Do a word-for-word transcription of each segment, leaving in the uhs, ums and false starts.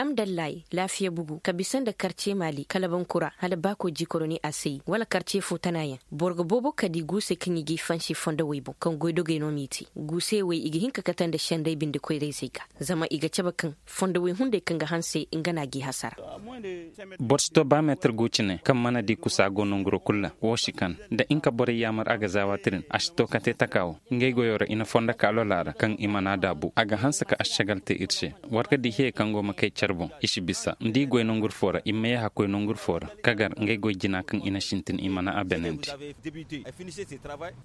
Amdallahi laafiya bugu ka bisa nda karce maali kala bankura hala baako jikoroni a sayi wala karce fo tanayaŋ. Boro ga boobo kadi guusey kaŋ i g'i fansi fondowey boŋ kaŋ goydogey no m'i te. Guusey wey i ga hin ka kate nda senday binde koyra-izey ga, zama i ga cabe kaŋ fondowey hunday kaŋ ga hanse nga no a g'i hasara. Boro si to ba meetir gu cine kaŋ mana di kusa go nonguro kul ra. Wo si kan da inka borey yaamar a ga zaawati din a si to kate taka wo. Ngey goyo ra i na fondo ka lola ra kaŋ i mana daabu a ga hanse ka ašagal te ir se. War ga di hiyey kaŋ go ma kay care boŋ i si bisa nda i goy nongur fo ra i ma ye hakkoy nongur fo ra, ka gar ngey goy jina kaŋ i na sintin i mana a benandi.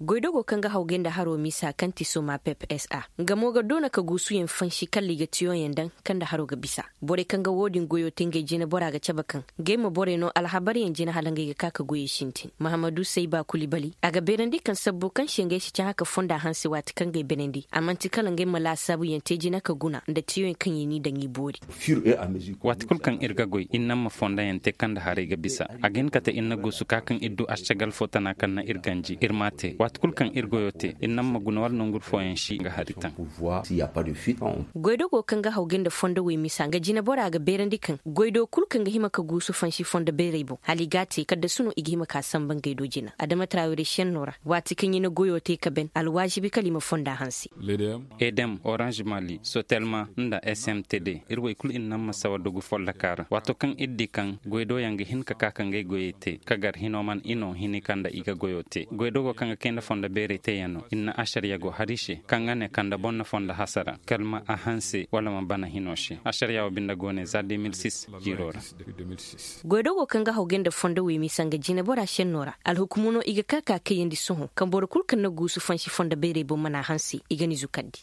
Goydogo kaŋ ga hawgay nda haro misa kaŋ ti soma pep s a nga mo ga doona ka guusuyaŋ fansi kala i ga tiyoyaŋ daŋ kaŋ nda haro ga bisa. Borey kaŋ ga wo-din goyo te ngey jinabora ga cabe kaŋ ngey ma borey no alhabaryaŋ jina hala ngey ga ka ka goyey sintin mahamadu sayba kulibali a ga beerandi kaŋ sabbo kaŋ se ngey si cahã ka fonda hanse waati kaŋ ngey beenandi a man'ti kala ngey ma laasaabuyaŋ te jina ka guna nda tiyoyaŋ kaŋ i n'i daŋ i boori. Waati kul kaŋ ir ga goy ir naŋ ma fondayaŋ te kaŋ nda haray ga bisa. A ga hin ka te ir na guusu ka kaŋ ir du ašagal fo tana kaŋ na ir ganji ir m'a te waati kul kaŋ ir goyo te ir naŋ ma guna wala nongur fooyaŋ si ga hari taŋ. Goydogo kaŋ ga hawgay nda fondowey misa nga jinabora ga beerandi kaŋ goydo kul kaŋ ga hima ka guusu fansi fondo beerey boŋ hala i g'a te kala da suno i ga hima ka samba ngey do jina adama trawere senno ra. Waati kaŋ i na goyo te ka ben alwaazibi kala i ma fonda hanse. Edem, oranž mali, sotelma, nda s m t d. Ir wey kul ir naŋ ma sawa dogu folloka ra waato kaŋ ir di kaŋ goydoyaŋ ga hin ka ka ka ngey goyey te ka gar hino man ino hini kaŋ nda i ga goyo te goydogo kaŋ ga kay nda fondo beerey teyaŋ no ir na ašariya go har i se kaŋ ga ne kaŋ nda boŋ na fondo hasara kala ma a hanse wala ma bana hino se ašariya wo binde go ne za deux mille six jiiro ra. Goydogo kaŋ ga hawgay nda fondo wey misa nga jinabora senno ra alhukumo no i ga ka ka kayandi sohõ kaŋ boro kul kaŋ na guusu fansi fondo beerey boŋ mana hanse i ga ni zukandi.